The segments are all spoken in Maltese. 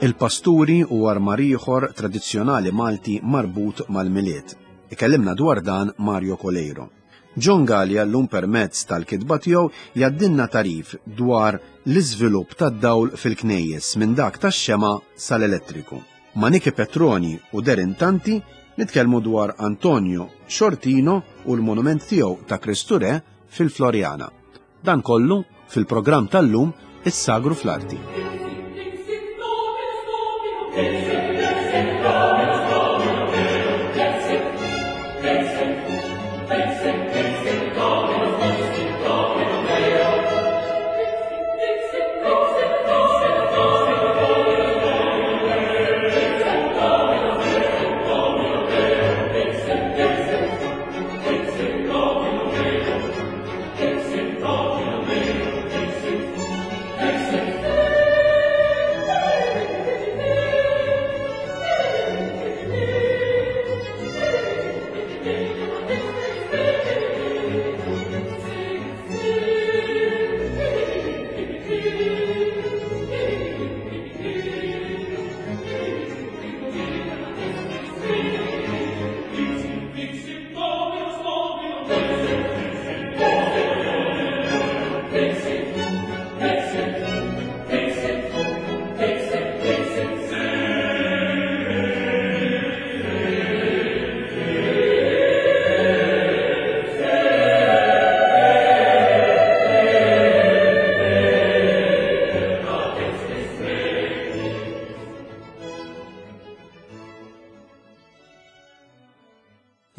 Il-pasturi u armar ieħor tradizzjonali Malti marbut mal-Milied. Ikellimna dwar dan Mario Coleiro. John Galea llum permezz tal-kitba tiegħu jgħaddilna tagħrif dwar l-iżvilupp tad-dawl fil-knejjes minn dak tax-xemgħa sal-elettriku. Ma' Niki Petroni u Darren Tanti nitkellmu dwar Antonio Sciortino u l-monument tiegħu ta' Kristu Re fil-Floriana. Dan kollu fil-programm tal-lum Is-Sagru fl-Arti.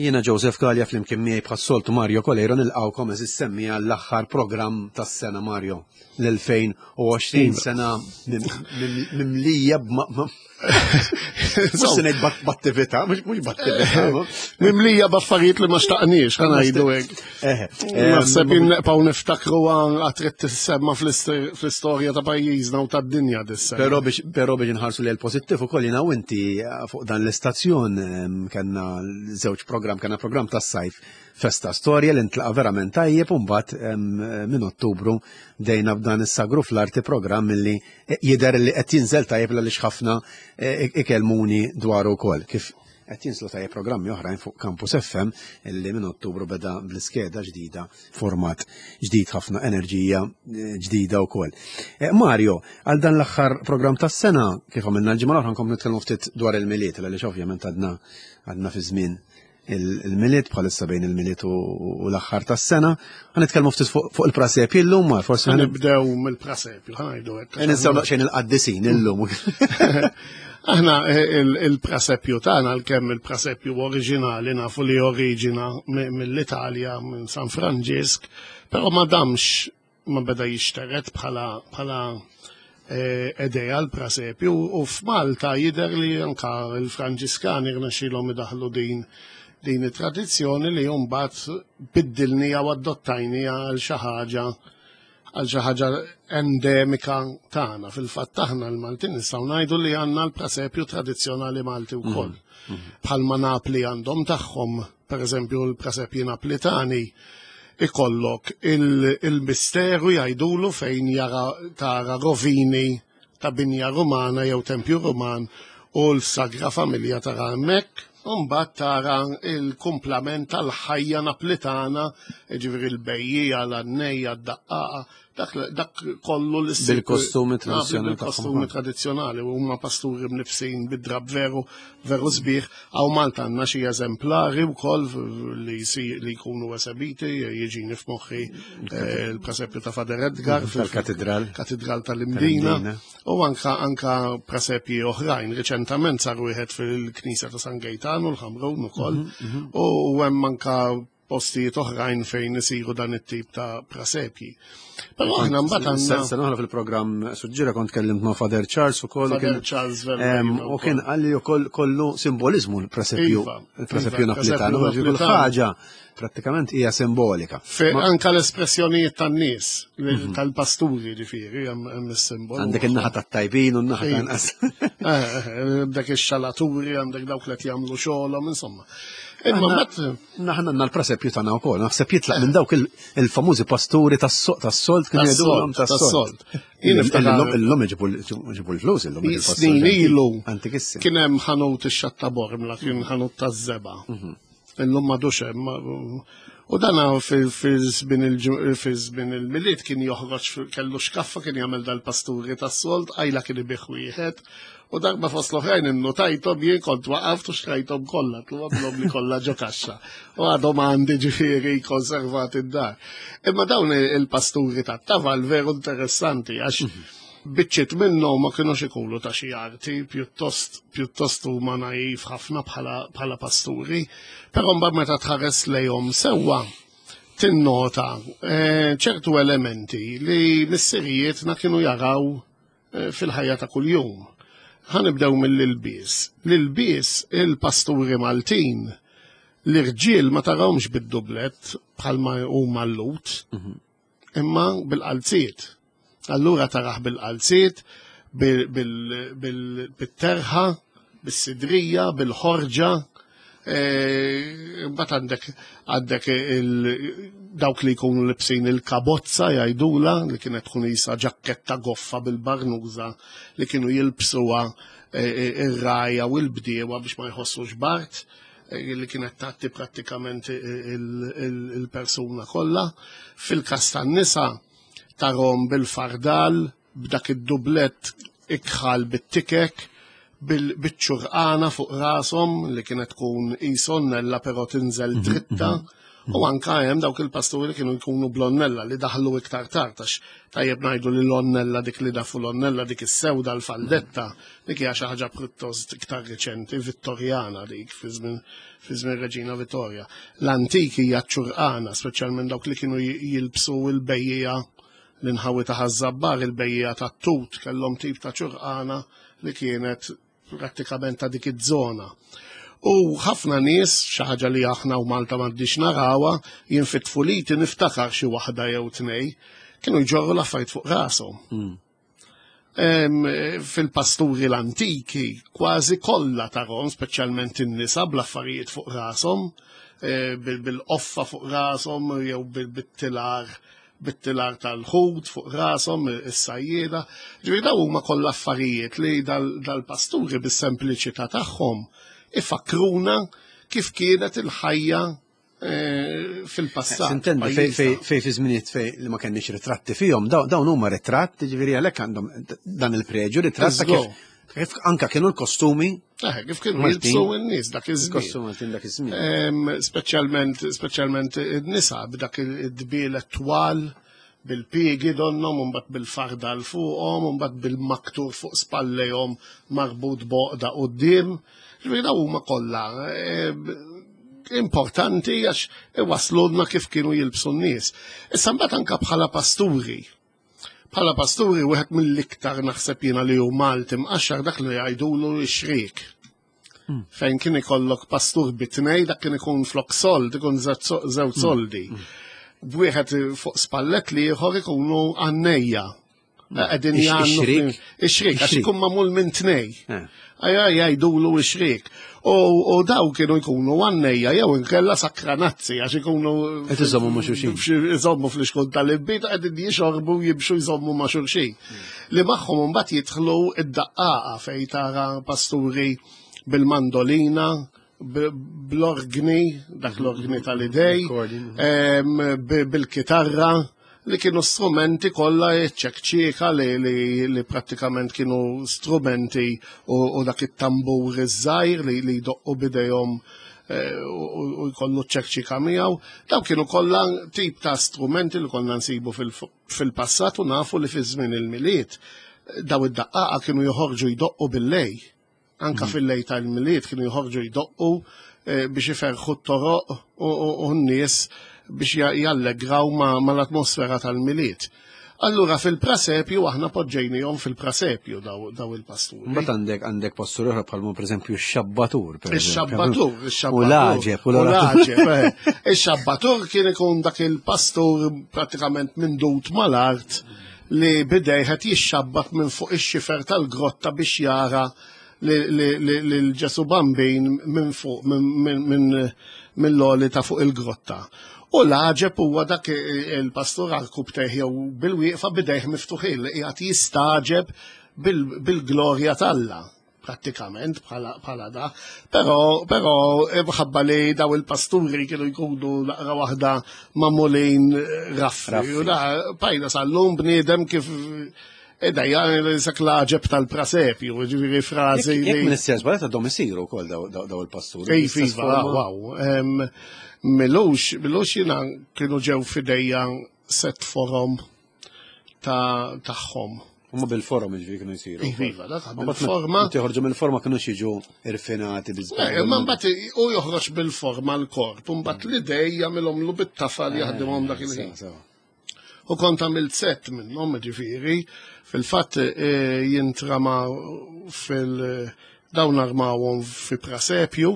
Jiena Joseph Galea flimkien miegħi bħas-soltu Mario Coleiro nilqgħukom eżis semmiegħa l-aħħar programm tas-sena Mario l-2020 iva. sena mimlija Mux se ngħid b'attività, mhux b'attività. Mimlija b'affarijiet li ma xtaqniex, ħa ngħidu hekk. Naħseb neqpaw niftakru għatrid tissemma fl-istorja ta' pajjiżna u tad-dinja dissa. Però biex però biex inħarsu li l-pożittiv ukoll jiena u inti fuq dan l-istazzjon kellna żewġ programm, kellna programm tas-sajf festa storja li ntlaqa verament tajjeb u mbagħad minn Ottubru bdejna b'dan is-sagru fl-arti programm li jidher li qed jinżel tajjeb għaliex ħafna eh, ikellmuni dwaru wkoll kif qed jinslu tajjeb programmi oħrajn fuq Campus FM illi minn Ottubru beda bl-iskeda ġdida, format ġdid ħafna enerġija eh, ġdida wkoll. Eh, Mario, għal dan l-aħħar programm tas-sena kif għamilna l-ġimgħa l-oħra nkomplu nitkellmu ftit dwar il-Milied għaliex ovvjament għadna għadna fi żmien il-Milied bħalissa bejn il-Milied u l-aħħar tas-sena. Ħa nitkellmu ftit fuq il-prasepji llum, ma forsi nibdew mill-prasepju, ħa ngħidu hekk. Ninsew daqsxejn il-qaddisin illum. Aħna eh, il-prasepju tagħna għalkemm il-prasepju oriġinali nafu li oriġina mill-Italja minn San Franġisk, però ma damx ma beda jixteret bħala bħala eh, edeja l-prasepju u f'Malta jidher li anka l-Franġiskani rnexxielhom idaħlu din din it-tradizzjoni li mbagħad biddilnija u adottajnija għal xi ħaġa għal xi ħaġa endemika tagħna. Fil-fatt aħna l-Maltin nistgħu ngħidu li għandna l-prasepju tradizzjonali Malti wkoll. Mm. Mm. Bħalma Napli għandhom tagħhom Per eżempju, l-presepji Naplitani ikollok il-misteru jgħidulu fejn jara tara rovini ta' binja Rumana jew tempju Ruman u l-Sagra Familja tara hemmhekk, u mbagħad tara il-kumplament tal-ħajja Naplitana, jiġifieri l-bejjiegħa, l-għannejja, d-daqqaqa, dak, dak kollu li Bil-kostumi tradizjonali. Bil-kostumi tradizjonali u huma pasturi mnifsin bid-drab veru, veru sbieħ. Għaw Malta għandna xi eżemplari wkoll li li jkunu esebiti, jiġini f'moħħi eh, l-presepju ta' Fader Edgar mhm, fil-katedral. Katedral tal-Imdina. U anka anka presepji oħrajn. Riċentament sar wieħed fil-Knisja ta' San Gejtanu l-Ħamrun ukoll. Mhm, mhm. U hemm anka postijiet oħrajn fejn isiru dan it-tip ta' prasepji. Però aħna mbagħad għandna. Sena oħra fil-programm suġġira kont kellimt ma' Father Charles ukoll. Father Charles U kien qalli ukoll kollu simbolizmu l-presepju. Iva, il-presepju iva, naplitanu, kull ħaġa prattikament hija simbolika. Anka l-espressjonijiet tan-nies, mhm. tal-pasturi ġifieri hemm is-simbol. Għandek in-naħa tat-tajbin u n-naħa tan-qas. Eh, eh, dak ix-xalaturi, għandek dawk li qed jagħmlu xogħolhom, insomma. Imma mbagħad Naħna għandna l-prasepju tagħna wkoll, naħseb jitlaq minn dawk il-famużi pasturi tas-solt kienu jgħidulhom tas-solt. Illum iġibu l-flus illum. Snin ilu. Kien hemm ħanut ix-xatta Bormla, kien ħanut taż-żeba. Mhm. Illum m'għadux hemm. U dana fi żmien il-Milied kien joħroġ kellu xkaffa kien jagħmel dal-pasturi tas-solt, għajla kien ibih wieħed. U darba fost l-oħrajn innotajthom jien kont waqaft u xtrajthom kollha, tlobhom li kollha ġo kaxxa. U għadhom għandi ġifieri konservati d-dar. Imma dawn il-pasturi tat-taval veru interessanti għax mhm. biċċiet minnhom ma kinux ikunu ta' xi arti, pjuttost pjuttost huma naif ħafna bħala pasturi, però mbagħad meta tħares lejhom sewwa tinnota eh, ċertu elementi li missirijietna kienu jaraw Eh, fil-ħajja ta' kuljum. Ħa nibdew mill-ilbies. L-ilbies il-pasturi Maltin l-irġiel ma tarawhomx bid-dublet bħalma huma l-lut, mhm. imma bil-qalziet. Allura taraħ bil-qalziet, bil-terħa, bis-sidrija, bil-ħorġa, eh, mbagħad għandek għandek dawk li jkunu libsin il-kabozza jgħidula li kienet tkun isa ġakketta goffa bil-barnuża li kienu jilbsuha eh, eh, ir-rajja u l-bdiewa biex ma jħossux bart li kienet tagħti prattikament il-persuna kollha. Fil-każ tan-nisa tarhom bil-fardal, b'dak id-dublett ikħal bit-tikek, biċ-ċurqana fuq rashom li kienet tkun isonnella però tinżel mhm, dritta. Mhm. U anka hemm dawk il-pasturi li kienu jkunu blonnella li daħlu iktar tard għax tajjeb ngħidu li l-onnella dik li dafu l-onnella dik is-sewda l-faldetta dik hija xi ħaġa pjuttost iktar riċenti Vittorjana dik fi żmien fi żmien Reġina Vittorja. L-antik hija ċurqana, speċjalment dawk li kienu jilbsu l-bejjija L-inħawi ta' Ħaż-Żabbar, il-bejjiegħa tat-tut kellhom tip ta' ċurqana li kienet prattikament ta' dik iż-żona. U ħafna nies, xi ħaġa li aħna u Malta m'għaddix narawha, jien fit-tfuliti niftakar xi waħda jew tnej, kienu jġorru l-affarijiet fuq rashom. Hmm. Fil-pasturi l-antiki kważi kollha tarhom, speċjalment in-nisa bl-affarijiet fuq rashom, eh, bil-qoffa fuq rashom jew bil-tilar bit-tilar tal-ħut fuq rashom is-sajjieda. Ġifieri dawn huma kollha affarijiet li dal-pasturi bis-sempliċità tagħhom ifakruna kif kienet il-ħajja eh, fil-passat. Intendi fej fi żminijiet fej li ma kenniex ritratti fihom, dawn huma ritratt, ġifieri għalhekk għandhom dan il-preġu ritratt ta' kif kif anka kienu l-kostumi. Eh, kif kienu jilbsu n-nies dak iż-żmien. Kostumi Maltin dak iż-żmien. Speċjalment speċjalment in-nisa b'dak id-dbielet twal bil-piegi donnom, mbagħad bil-farda l fuqhom, mbagħad bil-maktur fuq spallejhom marbut boqda quddiem. Ġifieri daw huma kollha importanti għax iwaslulna kif kienu jilbsu n-nies. Issa mbagħad anka bħala pasturi. Bħala pasturi wieħed mill-iktar naħseb jiena li hu Malti mqaxxar dak li jgħidulu x-xrik. Hmm. Fejn kien ikollok pastur bitnej dak kien ikun flok sold, ikun żewġ hmm. soldi. Hmm. B'wieħed fuq spallet li ieħor ikunu għannejja. Qegħdin jgħannu. Ix-xrik, għax ikun magħmul minn tnej. Eh. Ajja jgħidulu ix-xrik. U daw kienu jkunu għannejja jew inkella sakranazzi għax ikunu. Qed iżommu ma' xulxin. Iżommu fl-iskun tal-ibbit qegħdin jixorbu jimxu jżommu ma' xulxin. Hmm. Li magħhom imbagħad jidħlu id-daqqaqa fejn tara pasturi bil-mandolina, bl-orgni, dak l-orgni tal-idej, bil-kitarra, li kienu strumenti kollha ċekċieka li, li, li prattikament kienu strumenti u, u dak it-tambur iż-żgħir li, li jdoqqu bidejhom eh, u jkollu ċekċika miegħu. Daw kienu kollha tip ta' strumenti li konna nsibu fil-passat u nafu li fi żmien il-Milied daw id-daqqaqa kienu joħorġu jdoqqu bil-lej. Anka mm. fil-lej tal-Milied kienu joħorġu jdoqqu eh, biex iferħu t-toroq u n-nies biex jallegraw mal-atmosfera tal-Milied. Allura fil-prasepju aħna poġġejnihom fil-prasepju daw il-pasturi. Mbagħad għandek għandek pasturi oħra bħalma pereżempju x-xabbatur. Ix-xabbatur, ix-xabbatur. U l-għaġeb, u l-għaġeb. Eh. Ix-xabbatur kien ikun dak il-pastur pratikament mindut mal-art li bidej qed jixxabbat minn fuq ix-xifer tal-grotta biex jara lil Ġesu Bambin minn fuq mill-għoli ta' fuq il-grotta. U l-għaġeb huwa dak il-pastur għarkupptejh jew bil-wieqfa b'idejh miftuħin li qiegħed jistagħġeb bil-glorja t'Alla prattikament bħala da. Però però mħabba li daw il-pasturi kienu jkunu naqra waħda magħmulin raffi. U da pajna sal-lum bniedem kif Eda, sak l-għaġeb tal-prasepju, ġifieri frażi. Jekk minn istess balet għadhom isiru wkoll daw il-pasturi. Ej, iva, wow. Milux, milux jiena kienu ġew fidejja set forom tagħhom. Huma bil-forom ġifieri kienu jsiru. Iva, dak bil-forma. Joħorġu mill-forma kienu jiġu irfinati biżbal. Ma mbagħad u joħroġ bil-forma l-korp, u mbagħad l-idej jagħmilhomlu bit-tafal jaħdimhom dak il-ħin. U kont għamilt set minnhom, ġifieri, fil-fatt eh, jintrama fil- dawn armawhom fi prasepju,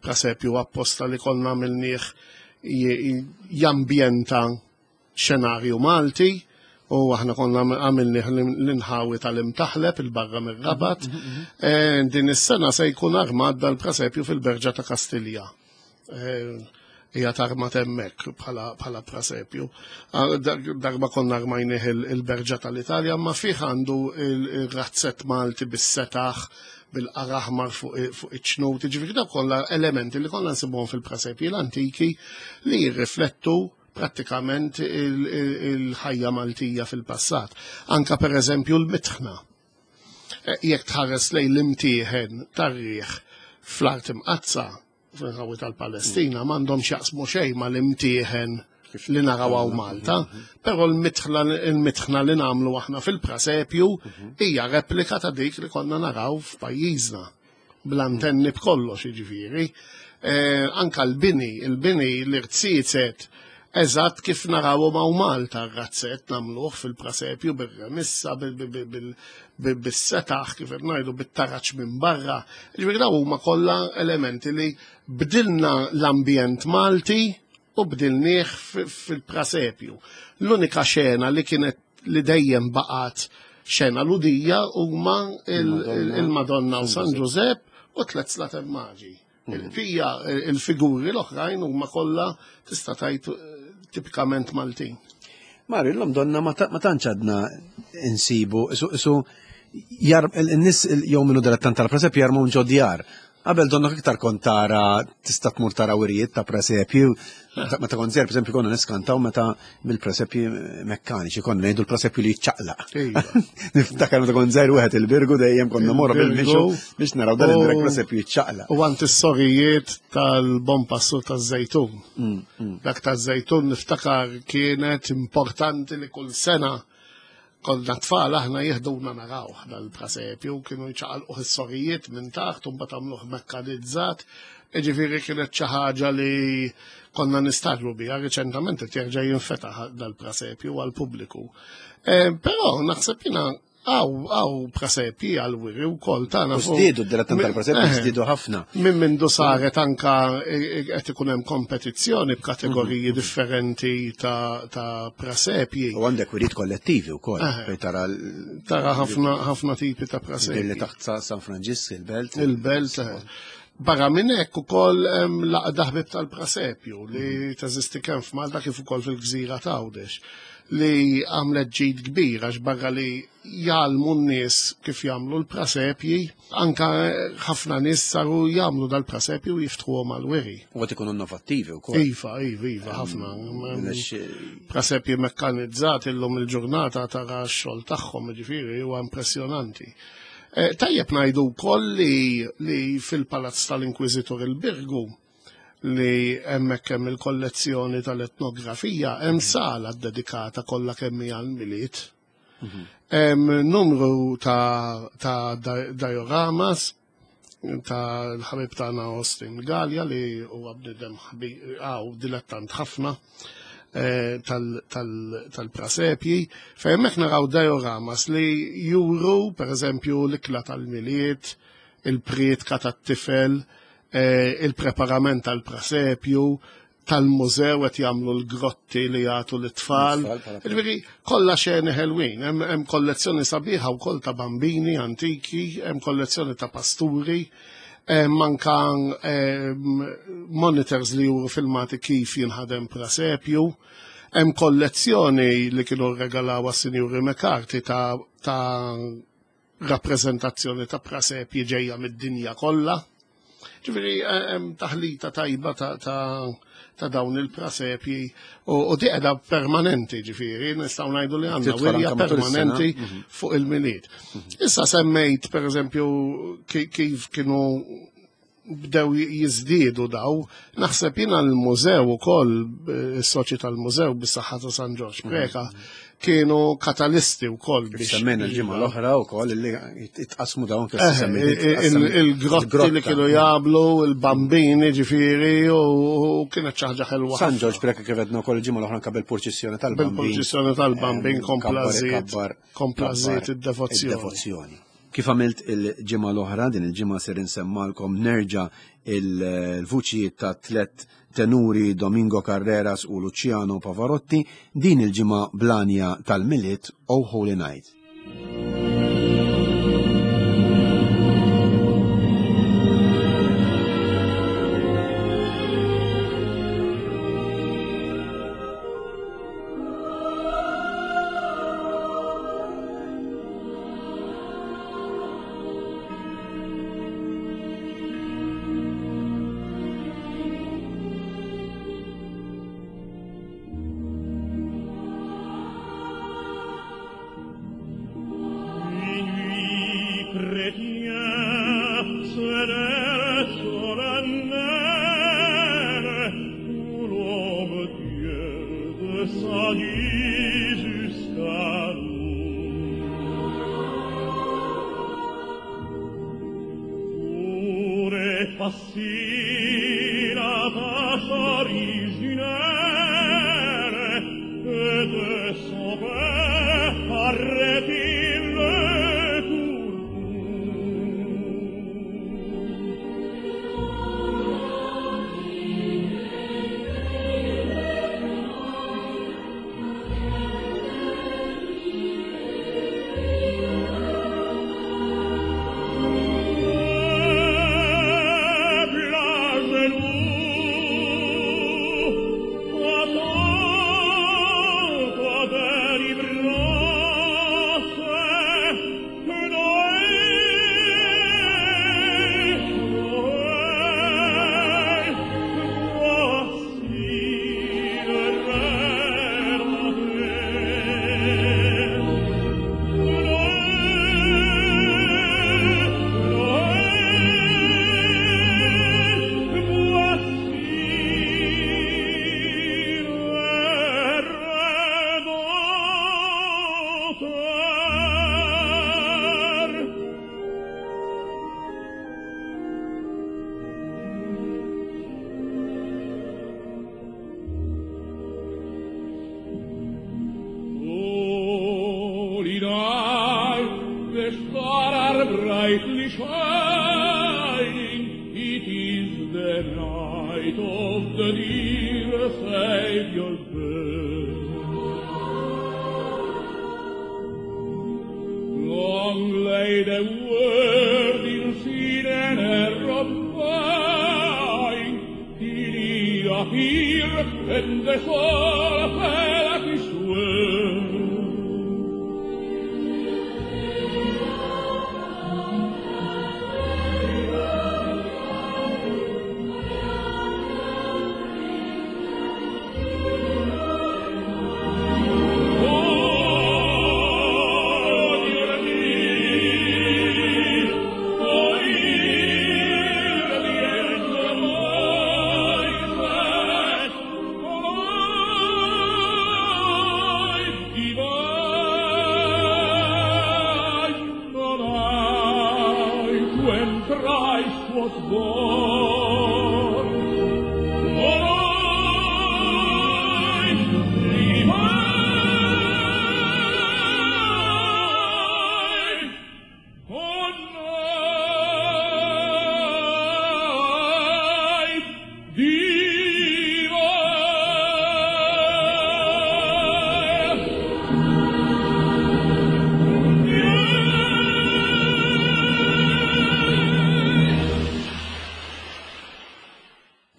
prasepju apposta li konna għamilnieh jambjenta xenarju Malti, u aħna konna għamilnieh l-inħawi tal-imtaħleb il-barra mir-Rabat. Eh, din is-sena se jkun armat dal-prasepju fil-Berġa ta' Kastilja. Eh, hija tarmat hemmhekk bħala prasepju. Ah, darba konna armajnih il-Berġa tal-Italja, ma fih għandu il-razzett Malti bis-setaħ bil-qaraħmar fuq iċ-ċnut, ġifieri dawk kollha elementi li konna nsibuhom fil-prasepji l-antiki li jirriflettu prattikament il-ħajja Maltija fil-passat. Anka per eżempju l-mitħna. Eh, jekk tħares lejn l-imtieħen tar-riħ fl-art imqazza, fil-ħawi tal-Palestina m'għandhom x'jaqsmu xejn mal-imtieħen li naraw hawn Malta, però l-mitħna li nagħmlu aħna fil-prasepju hija replika ta' dik li konna naraw f'pajjiżna bl-antenni b'kollox jiġifieri. Eh, anka l-bini, il-bini l-irziezet eżatt kif narawhom hawn Malta r-razzett nagħmluh fil-prasepju bir-remissa, bis-setaħ kif qed ngħidu bit-taraġ minn barra. Ġifieri dawn huma kollha elementi li bdilna l-ambjent Malti u bdilnieh fil-prasepju. L-unika xena li kienet li dejjem baqgħet xena ludija huma il-Madonna u San Ġużepp u tliet slatem maġi. Il-bqija il-figuri l-oħrajn huma kollha tista' tgħid tipikament Maltin. Mario, l-lum donna ma tantx għadna insibu, isu n-nis jew minnu dilettant tal-presepju jarmu ġodjar. Qabel donna iktar kont tara tista' tmur tara wirjiet ta' presepju. Meta kont żgħir, pereżempju, konna niskantaw meta mill-presepji mekkaniċi, konna ngħidu l-presepju li jiċċaqlaq. Iva. Niftakar meta kont żgħir wieħed il-birgu dejjem konna morru bil-mixu biex naraw dan il presepju jiċċaqlaq. U għand is-sorijiet tal-bon passu taż-żejtun. Dak taż-żejtun niftakar kienet importanti li kull sena Konna tfal aħna jihduna narawh dal-prasepju, kienu jċaqalquh is-sorijiet minn taħt u mbagħad għamluh mekkanizzat. Jiġifieri kienet xi ħaġa li konna nistagħġbu biha, riċentament qed jerġa' jinfetaħ dal-prasepju għall-pubbliku. Eh, però naħseb jiena għaw prasepji għal-wiri u kol tagħna. U żdiedu d-dilettant tal-prasepji eh, żdiedu ħafna. Minn mindu saret anka eh, qed ikun hemm kompetizzjoni b'kategoriji mhm. differenti ta' prasepji. U għandek wiriet kollettivi wkoll eh. fejn tara tara ħafna ħafna tipi ta' prasepji. Li taħt San Franġisk il-belt. Il-belt. Barra minn hekk ukoll hemm l-għaqda ħbieb tal-prasepju li mhm. teżisti kemm f'Malta kif ukoll fil-gżira ta' Għawdex li għamlet ġid kbir għax barra li jgħallmu n-nies kif jagħmlu l-prasepji, anka ħafna nies saru jagħmlu dal-prasepji u jiftħuhom għal-wiri. U qed ikunu innovattivi wkoll. Iva, iva, iva, ħafna. Prasepji mekkanizzati llum il-ġurnata tara x-xogħol tagħhom, ġifieri huwa impressjonanti. Eh, tajjeb ngħidu wkoll li, li fil-Palazz tal-Inkwiżitur il-Birgu li hemmhekk hemm il-kollezzjoni tal-etnografija hemm mhm. sala ddedikata kollha kemm hija l-miliet. Mhm. Hemm numru ta', ta dioramas ta' l-ħabib tagħna Austin Gallia li huwa bniedem għaw dilettant ħafna eh, tal-prasepji, fejn hemmhekk naraw dioramas li juru pereżempju l-ikla tal-milied, il-prietka tat-tifel, eh, il-preparament tal-prasepju, tal-mużew qed jagħmlu l-grotti li jagħtu l-tfal. Ġifieri kollha xeni ħelwin, hemm kollezzjoni sabiħa wkoll ta' bambini antiki, hemm kollezzjoni ta' pasturi, hemm anka monitors li juru filmati kif jinħadem prasepju, hemm kollezzjoni li kienu rregalaw għas-Sinjuri McCarthy ta' rappreżentazzjoni ta' prasepji ġejja mid-dinja kollha. Ġifieri hemm taħlita tajba ta' dawn il-prasepji u di qiegħda permanenti, ġifieri nistgħu ngħidu li għandna wirja permanenti mhm. fuq il-Milied. Mhm. Issa semmejt pereżempju kif kienu bdew jiżdiedu daw, naħseb jiena l-mużew ukoll is-soċi tal-mużew bis-saħħa ta' San Ġorġ mhm. Preka kienu katalisti wkoll biex. Semmejna l-ġimgħa l-oħra wkoll li jitqasmu dawn kif eh, Il-grotti li kienu jagħmlu, il-bambini ġifieri u kienet xi ħaġa ħelwa. San Ġorġ Preka kif għedna wkoll il-ġimgħa l-oħra anke bil-purċissjoni tal-bambin. Bil-purċissjoni tal-bambin kompla żied id-devozzjoni. Kif għamilt il-ġimgħa l-oħra, din il-ġimgħa ser insemmalkom nerġa' il-vuċijiet ta' tlet tenuri Domingo Carreras u Luciano Pavarotti din il-ġimgħa blanja tal-Milied Oh Holy Night.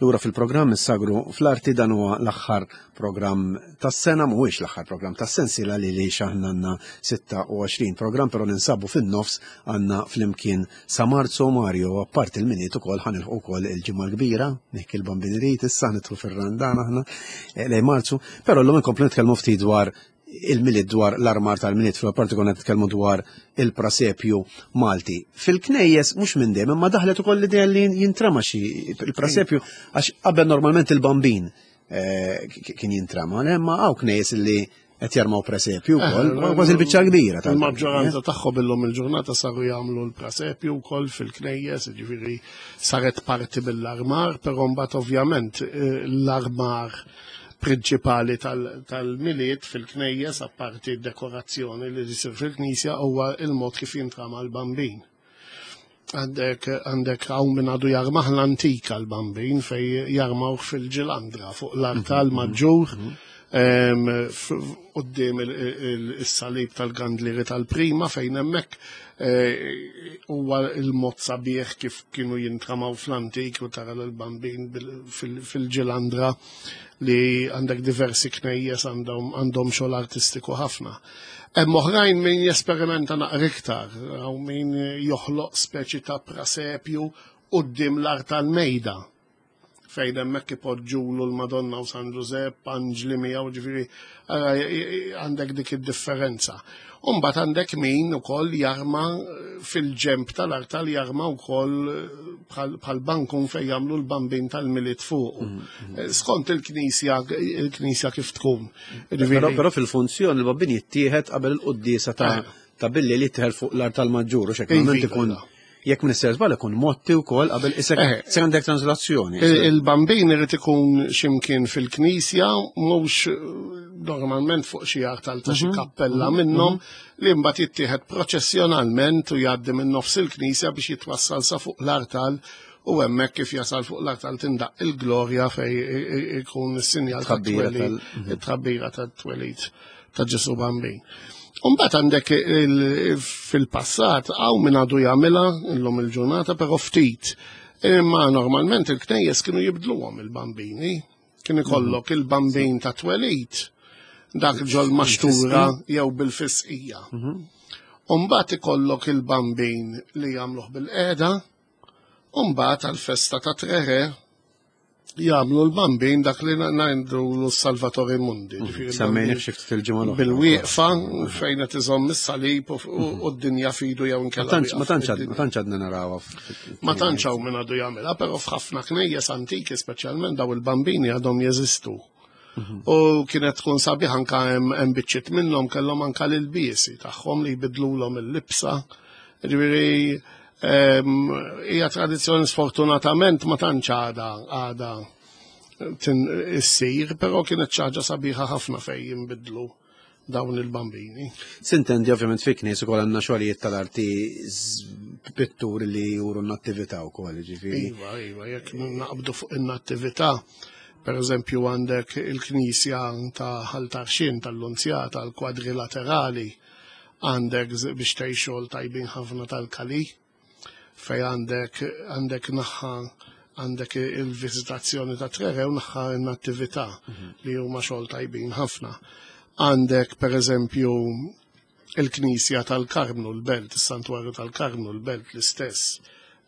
Lura fil-programm Is-Sagru fl-Arti dan huwa l-aħħar programm tas-sena, mhuwiex l-aħħar programm tas-sensiela li li aħna għandna 26 programm, però ninsabu fin-nofs għandna flimkien sa Marzu Mario, apparti il-Milied ukoll ħa nilħqu wkoll il-Ġimgħa l-Kbira, nihki l-Bambin irid issa nidħlu fir-Randan aħna eh, lejn Marzu, però llum inkomplu nitkellmu ftit dwar il-Milied dwar l-armar tal-Milied fil-parti konna nitkellmu dwar il-prasepju Malti. Fil-knejjes mhux minn dejjem imma daħlet ukoll l-idea li jintrama xi il-prasepju għax qabel normalment il-bambin eh, kien jintrama, imma hawn knejjes li qed jarmaw presepju wkoll, eh, kważi l-biċċa kbira. Il-maġġoranza tagħhom illum il-ġurnata saru jagħmlu l-presepju wkoll fil-knejjes, jiġifieri saret parti mill-armar, però mbagħad ovvjament eh, l-armar prinċipali tal-Milied fil-knejjes, apparti d-dekorazzjoni li jsir fil-knisja, huwa il-mod kif jintrama l-bambin. Għandek għandek hawn min għadu jarmah l-antika l-bambin fej jarmawh fil-ġilandra fuq l-artal mhm, maġġur mhm. Quddiem is-salib tal-gandlieri tal-prima fejn hemmhekk eh, huwa il-mod sabiħ kif kienu jintramaw fl-antik u tara l-bambin fil-ġilandra li għandek diversi knejjes għandhom xogħol artistiku ħafna. Hemm oħrajn min jesperimenta naqra iktar, hawn min joħloq speċi ta' prasepju quddiem l-art tal-mejda fejn hemmhekk ipoġġulu l-Madonna u San Ġużepp, anġli miegħu, ġifieri għandek dik id-differenza. U mbagħad għandek min ukoll jarma fil-ġemp tal-artal jarma wkoll bħal bankun fejn jagħmlu l-bambin tal-Milied fuqu. Mm, mm. Eh, skont il-knisja il-knisja kif tkun. Però fil-funzjoni l-bambin jittieħed qabel il-quddiesa ta' eh. ta' billi li jittieħed fuq l-artal maġġur u xekk ikun iva. Jekk minn żball ikun motti wkoll qabel isek eh. se għandek translazzjoni. Il-bambin irid ikun x'imkien fil-knisja mhux eh, normalment fuq xi artal ta' xi mhm. kappella mhm. minnhom mhm. li mbagħad jittieħed proċessjonalment u jgħaddi minn nofs il-knisja biex jitwassal sa fuq l-artal u hemmhekk kif jasal fuq l-artal tindaq il-glorja fej ikun is-sinjal tat-twelid, it-tħabbira tat-twelid ta' Ġesu Bambin. Umbat għandek fil-passat, għaw minn għadu jagħmilha illum il-ġurnata, però ftit. Imma normalment il-knejjes kienu jibdluhom il-bambini. Kien ikollok mhm. il-bambin ta' twelid, dak ġol maxtura jew bil-fisqija. Mhm. Umbat ikollok il-bambin li jagħmluh bil-qeda, umbat għal-festa ta' treħe jagħmlu l-bambin dak li ngħidu l-Salvatore Mundi. Mhm. Semmejni xi ftit il-ġimgħa l Bil-wieqfa fejn qed iżomm is-salib u mhm. d-dinja fidu jew inkella. Ma tantx għadna narawha. Ma tantx hawn min għadu jagħmilha, però f'ħafna knejjes antiki speċjalment daw il-bambini għadhom jeżistu. Mhm. U kienet tkun sabiħ anka hemm biċċiet minnhom kellhom anka l-ilbiesi tagħhom li jbidlulhom il-libsa. Ġifieri Hija tradizzjoni sfortunatament ma tantx għada għada issir, però kienet xi ħaġa sabiħa ħafna fejn jinbidlu dawn il-bambini. Sintendi ovvjament fi knies ukoll għandna xogħlijiet tal-arti pitturi li juru n-nattività wkoll, ġifieri. Iva, iva, jekk naqbdu fuq in-nattività, per eżempju għandek il-knisja ta' Ħal Tarxien tal-Lunzjata, l-kwadrilaterali, Għandek biex tgħix xogħol tajbin ħafna tal-Kali, fej għandek għandek naħħa għandek il-viżitazzjoni ta' Trere u naħħa n-nattività mhm. li huma xogħol tajbin ħafna. Għandek per eżempju il-Knisja tal-Karmnu l-Belt, is-Santwarju tal-Karmnu l-Belt l-istess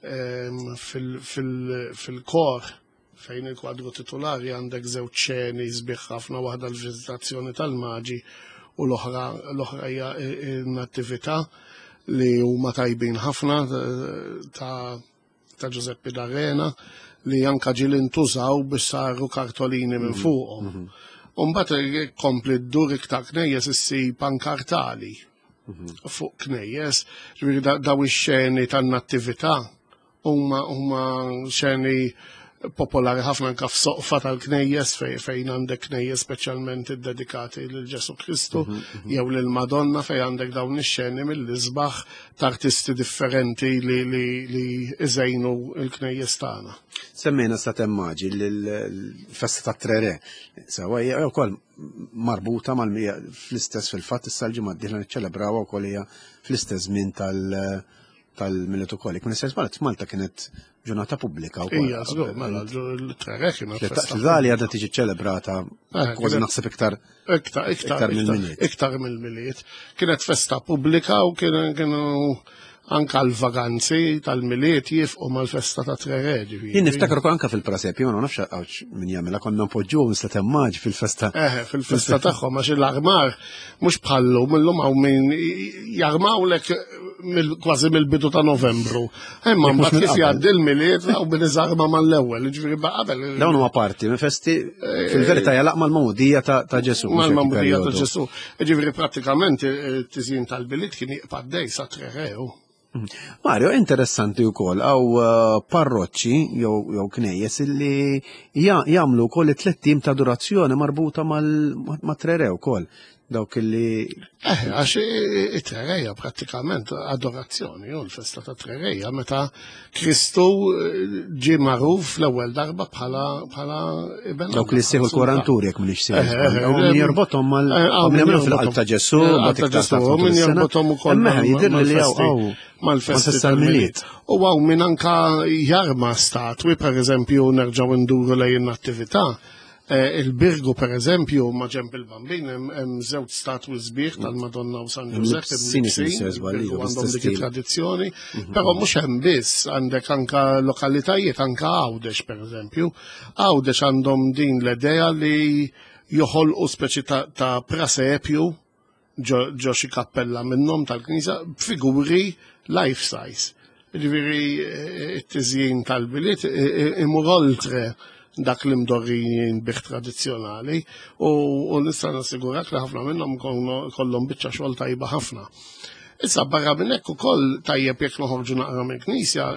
ehm, fil-kor Fejn il-kwadru titulari għandek żewġ xeni sbieħ ħafna, waħda l-viżitazzjoni tal-maġi u l-oħra l-oħra hija n-nattività li huma tajbin ħafna ta' ta' Giuseppe D'Arena li anka ġieli ntużaw biex saru kartolini minn mhm. fuqhom. Mhm. Umbagħad kompli ddur iktar knejjes issib pankartali mhm. fuq knejjes, ġifieri daw ix-xeni tan-nattività Huma huma xeni popolari ħafna anka f'soqfa tal-knejjes fejn għandek knejjes speċjalment iddedikati lil Ġesu Kristu mhm, mhm. jew lil Madonna fejn għandek dawn ix-xeni mill-isbaħ ta' artisti differenti li li li iżejnu l-knejjes tagħna. Semmejna sa temmaġi l-festa ta' Trere. Sewa hija wkoll marbuta mal fl-istess fil-fatt issa l-ġimgħa d-dieħla niċċelebrawha wkoll hija fl-istess żmien tal- tal-Milied ukoll. Jekk ma nistax żball, Malta kienet ġurnata pubblika wkoll. Ija, żgur, mela l-Tre kienet festa. L-Italja għadha tiġi ċelebrata eh, kważi naħseb iktar iktar iktar mill-Milied. Iktar mill-Milied. Kienet festa pubblika u kienu anka l-vaganzi tal-Milied jifqu mal-festa ta' Tre Re. Jien niftakar ukoll anka fil-prasepju, ma nafx għawx min jagħmilha konna npoġġuhom mislet maġ fil-festa. Eh, fil-festa tagħhom għax l-armar mhux bħallu millum hawn min jarmawlek kważi mill-bidu ta' Novembru. Imma mbagħad kif jgħaddi l-Milied hawn min iżarma mal-ewwel, jiġifieri qabel. Dawn huma parti minn festi eh, fil-verità jalaq mal-magħmudija ta' Ġesù. Mal-magħmudija ta' Ġesù. Ġifieri prattikament it-tiżjin tal-Milied kien jibqa' dej sa Tre Re. Mario, interessanti wkoll għaw eh, parroċċi jew knejjes illi jagħmlu wkoll it-tliet ta' durazzjoni marbuta mal-Tre Re wkoll. Dawk illi. Eh, għax it-Tre Re hija prattikament adorazzjoni, u l-festa ta' Tre Re hija meta Kristu eh, ġie magħruf l-ewwel darba bħala bħala iben. Dawk li sieħu l-koranturi jekk m'iniex sieħu. Eh, eh, min jorbothom mal min jagħmlu fil-qalb ta' Ġesù, ta' Ġesù, min jorbothom ukoll. Jidher li hawn mal-festi tal-Milied. U hawn min anka jarma statwi, per eżempju, nerġgħu nduru lejn in-nattività. Eh, il-Birgu per eżempju ma ġemp il-Bambin hemm żewġ statwi sbieħ tal-Madonna u San Ġużepp għandhom dik it-tradizzjoni, mhm. però mhux hemm biss għandek anka lokalitajiet anka Għawdex per eżempju. Għawdex għandhom din l-idea li joħolqu speċi ta' prasepju ġo xi kappella minnhom tal-knisja b'figuri life size. Ġifieri eh, it-tiżjin tal-biliet eh, eh, imur oltre dak li mdorrijin bih tradizzjonali u nista' nassigurak li ħafna minnhom kollhom biċċa xogħol tajba ħafna. Issa barra minn hekk ukoll tajjeb jekk noħorġu naqra mill-knisja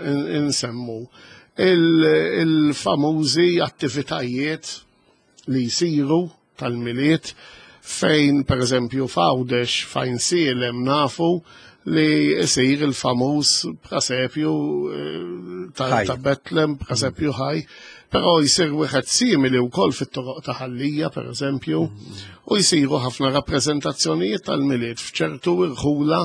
insemmu il-famużi attivitajiet li jsiru tal-Milied fejn pereżempju f'Għawdex fejn Sielem nafu li jsir il-famuż prasepju eh, ta' Betlem, prasepju ħaj, però jsir wieħed simili wkoll fit-toroq ta' Ħallija pereżempju, u jsiru ħafna rappreżentazzjonijiet tal-Milied f'ċertu irħula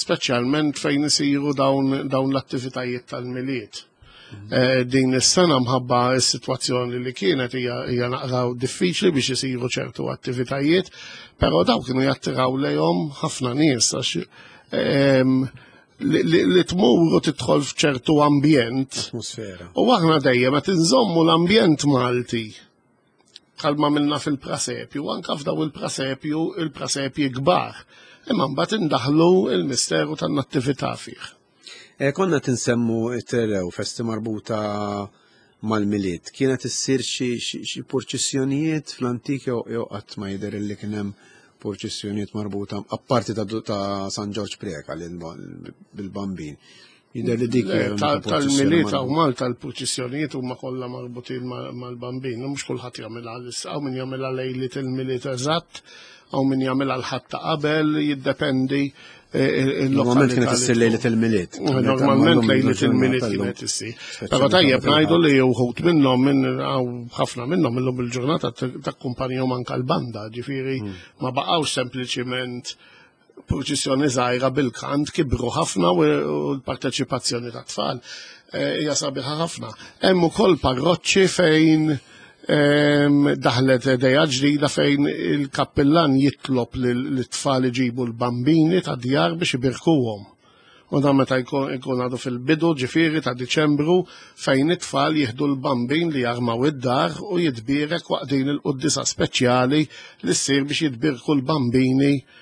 speċjalment fejn isiru dawn, dawn l-attivitajiet tal-Milied. Eh, din is-sena mħabba s-sitwazzjoni li kienet hija hija naqra diffiċli biex isiru ċertu attivitajiet, però daw kienu jattiraw lejhom ħafna nies għax ehm, li, li tmur u tidħol f'ċertu ambjent. Atmosfera. U aħna dejjem qed inżommu l-ambjent Malti bħalma minna fil-prasepju, anka f'daw il-prasepju, il-prasepji kbar. Imma mbagħad indaħlu il-misteru tan-nattività fih. Eh, konna tinsemmu it-terrew festi marbuta mal-Milied. Kienet issir xi purċissjonijiet fl-antik jew qatt ma jidher li kien hemm purċissjonijiet marbuta apparti ta' San Ġorġ Preca bil-Bambin. Jidher li dik tal-Milied hawn Malta l-purċissjonijiet huma kollha marbutin mal-Bambin, mhux kulħadd jagħmilha hawn min jagħmilha lejliet il-Milied eżatt, hawn min jagħmilha l-Ħadd ta' qabel, jiddependi eh, Normalment kienet issir lejlet il-Milied. Normalment lejlet il-Milied kienet issir. Però tajjeb ngħidu li wħud minnhom minn ħafna minnhom illum il-ġurnata takkumpanjhom anke l-banda, ġifieri hmm. ma baqgħux sempliċiment purċissjoni żgħira bil-kant kibru ħafna u l-parteċipazzjoni ta' tfal eh, hija sabiħa ħafna. Hemm ukoll parroċċi fejn ehm, daħlet idea ġdida fejn il-kappillan jitlob lit-tfal iġibu l-bambini ta' djar biex ibirkuhom. U dan meta jkun għadu fil-bidu ġifieri ta' Diċembru fejn it-tfal jieħdu l-bambin li jarmaw id-dar u jitbierek waqt din il-quddiesa speċjali li ssir biex jitbierku l-bambini eh,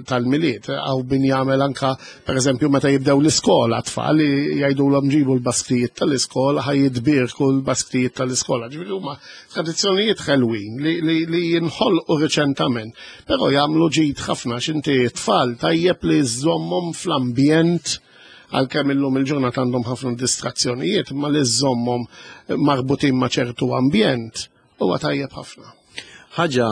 tal-Milied. Għaw min jagħmel anka, pereżempju, meta jibdew l-iskola tfal jgħidulhom ġibu l-basktijiet tal-iskola ħaj jitbierku l-basktijiet tal-iskola. Ġifieri huma tradizzjonijiet ħelwin li, li, li jinħolqu riċentament, però jagħmlu ġid ħafna x'inti tfal tajjeb li żommhom fl-ambjent għalkemm illum il-ġurnata għandhom ħafna distrazzjonijiet, ma li żommhom marbutin ma' ċertu ambjent huwa tajjeb ħafna. Ħaġa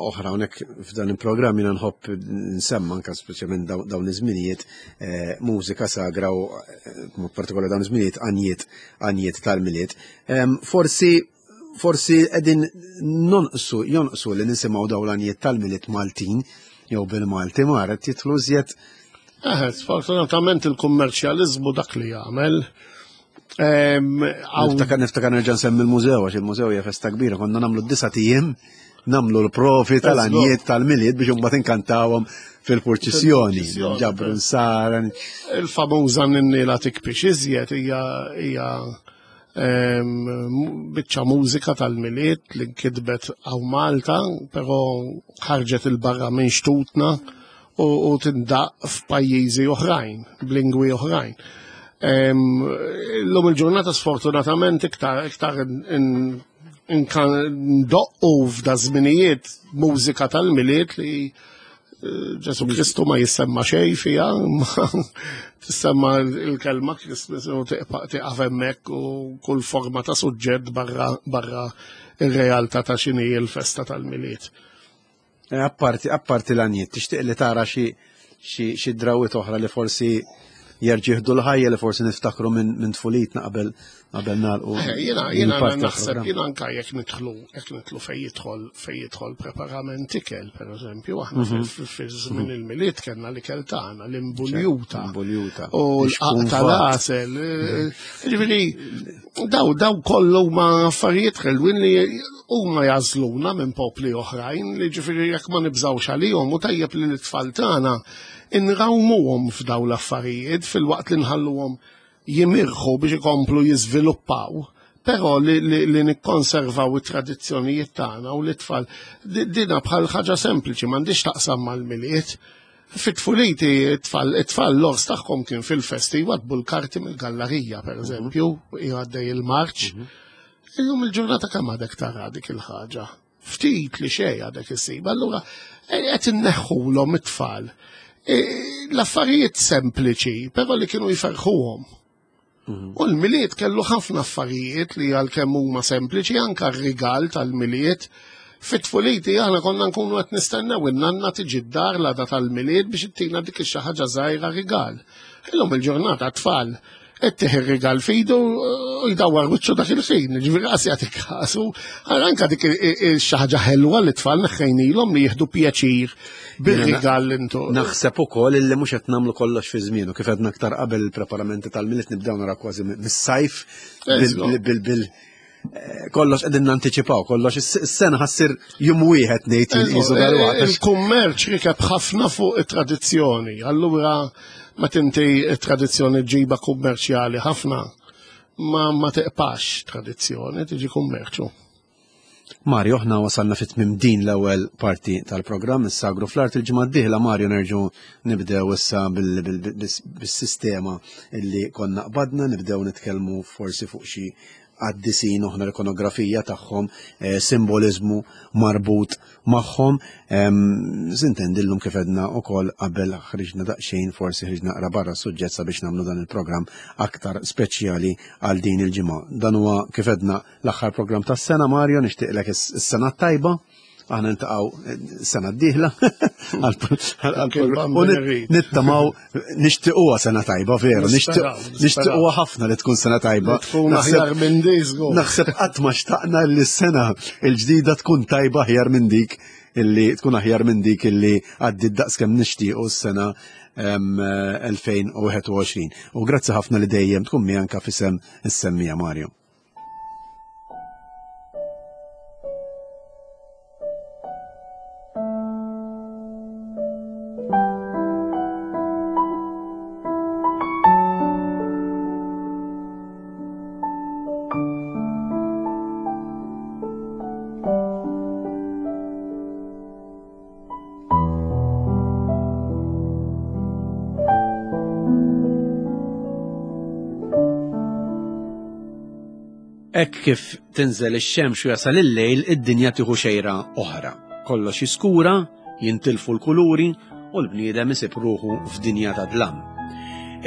oħra hawnhekk f'dan il-programm jiena nħobb nsemma anke speċjalment dawn iż-żminijiet eh, mużika sagra u eh, mod partikolari dawn iż-żminijiet għanjiet għanjiet tal-Milied. Forsi forsi qegħdin nonqsu jonqsu li nisimgħu dawn l-għanjiet tal-Milied Maltin jew bil-Malti mar qed jidħlu iżjed Eh, sfortunatament il-kummerċjaliżmu dak li jagħmel. Niftakar niftakar nerġa' nsemmi l-mużew għax il-mużew hija festa kbira, konna nagħmlu d-disa' ijiem nagħmlu l-profi tal-għanjiet tal-milied biex imbagħad inkantawhom fil-purċissjoni, ġabru nsara. Il-famuża ninnila tikpix iżjed hija hija biċċa mużika tal-milied li nkitbet għaw Malta, però ħarġet il-barra minn xtutna u tindaq f'pajjiżi oħrajn, b'lingwi oħrajn. Illum il-ġurnata sfortunatament iktar iktar ndoqqu f'da żminijiet mużika tal-milied li Ġesu Kristu ma jissemma xej fija, ma tissemma il-kelma Christmas u tiqaf hemmhekk u kull forma ta' suġġett barra barra ir-realtà ta' x'inhi l-festa tal-Milied. Eh, apparti apparti l-għaniet, tixtieq li tara xi xi drawwiet oħra li forsi jerġieħdu l-ħajja li forsi niftakru minn tfulitna qabel qabel nagħlqu. Eh, jiena jiena naħseb jiena anke jekk nidħlu jekk nidħlu fejn jidħol fejn jidħol preparament ikel, pereżempju, aħna mhm. fi żmien mhm. il-milied kellna l-ikel tagħna, l-imbuljuta. Imbuljuta. U l-qaq tal-għasel. Eh, ġifieri daw daw kollu ma affarijiet ħelwin li huma jażluna minn popli oħrajn li ġifieri jekk ma nibżgħux għalihom u tajjeb li l-tfal tagħna inrawmuhom f'daw l-affarijiet filwaqt li nħalluhom jimirħu biex ikomplu jiżviluppaw, però li, li, li nikkonservaw it-tradizzjonijiet tagħna u l-itfal dina bħal ħaġa sempliċi m'għandix taqsam mal-miliet. Fit-tfuliti it-tfal it-tfal l-ors tagħhom kien fil-festi jwadbu l-karti mill-gallarija pereżempju, jgħaddej il-marċ. Mhm. Illum il-ġurnata kemm għadek tara dik il-ħaġa. Ftit li xejn għadek issib. Allura qed inneħħulhom it-tfal. E, l-affarijiet sempliċi, però li kienu jferħuhom. Mhm. U l-milied kellu ħafna affarijiet li għalkemm huma sempliċi anka r-rigal tal-milied. Fit-tfuliti aħna konna nkunu qed nistennew in-nanna tiġi d-dar l-għada tal-milied biex ittina dik ix ħaġa żgħira rigal. Illum il-ġurnata tfal Ittih ir-rigal fidu u jdawwar wiċċu dak il-ħin, ġifieri qas jagħti kasu. Anka dik xi ħaġa ħelwa li tfal neħħejnilhom li jieħdu pjaċir bir-rigal intu. Naħseb ukoll illi mhux qed nagħmlu kollox fi żmienu, kif għedna aktar qabel il-preparamenti tal-milied nibdew nara kważi mis-sajf bil bil eh, kollox qegħdin nantiċipaw, kollox is-sena ħassir jum wieħed ngħid qisu eh, dalwaqt. Il-kummerċ rikeb ħafna fuq it-tradizzjoni, allura ma tinti it-tradizzjoni ġiba kummerċjali ħafna ma ma teqpax tradizzjoni, tiġi kummerċu. Mario, aħna wasalna fit tmim din l-ewwel parti tal-programm is-sagru fl-art il-ġimgħa d-dieħla Mario nerġgħu nibdew issa bis-sistema illi konna qbadna, nibdew nitkellmu forsi fuq xi qaddisin oħna l-ikonografija tagħhom, eh, simboliżmu marbut magħhom. Sintendillum kif edna ukoll qabel ħriġna daqsxejn forsi ħriġna naqra barra s-suġġett sabiex nagħmlu dan il-programm aktar speċjali għal din il-ġimgħa. Dan huwa kif edna l-aħħar programm tas-sena Mario, nixtieqlek is-sena tajba aħna ntaqgħu eh, sena d-dieħla nittamaw nixtiequha sena tajba veru, nixtiequha ħafna li tkun sena tajba. Naħseb qatt ma xtaqna li s-sena l-ġdida tkun tajba aħjar minn dik illi tkun aħjar minn dik illi għaddi daqs kemm nixtiequ s-sena 2021. U grazzi ħafna li dejjem tkun mianka fisem is-semmija Mario. Hekk kif tinżel ix-xemx u jasal il-lejl, id-dinja tieħu xejra oħra. Kollox jiskura, jintilfu l-kuluri u l-bniedem isib ruħu f'dinja ta' dlam.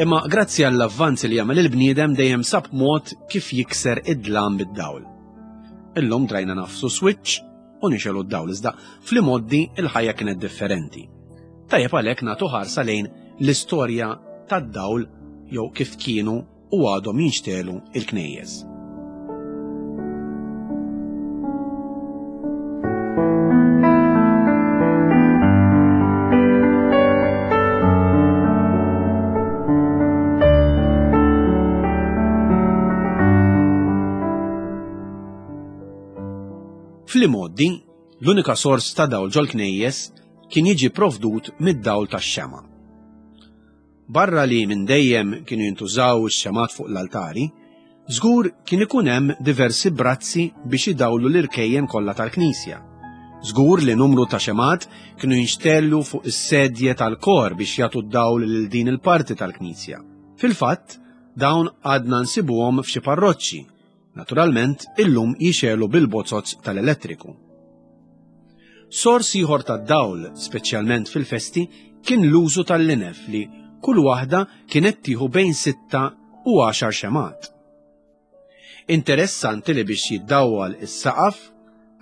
Imma grazzi għall-avvanzi li jagħmel il-bniedem dejjem sab mod kif jikser id-dlam bid-dawl. Illum drajna nafsu switch u nixelu d-dawl iżda fl-imoddi il-ħajja kienet differenti. Tajjeb għalhekk nagħtu ħarsa lejn l-istorja tad-dawl jew kif kienu u għadhom jinxtelu il-knejjes. Fl-imgħoddi, l-unika sors ta' dawl ġol-knejjes kien jiġi provdut mid-dawl tax-xemgħa. Barra li minn dejjem kienu jintużaw ix-xemgħat fuq l-altari, żgur kien ikun hemm diversi brazzi biex idawlu l-irkejjen kollha tal-knisja. Żgur li numru ta' xemgħat kienu jinxtellu fuq is-sedje tal-kor biex jagħtu d-dawl lil din il-parti tal-knisja. Fil-fatt, dawn għadna nsibuhom f'xi parroċċi Naturalment, illum jixegħlu bil-bozoz tal-elettriku. Sors ieħor tad-dawl, speċjalment fil-festi, kien l-użu tal-linef li kull waħda kienet tieħu bejn sitta u għaxar xemgħat. Interessanti li biex jiddawwal is-saqaf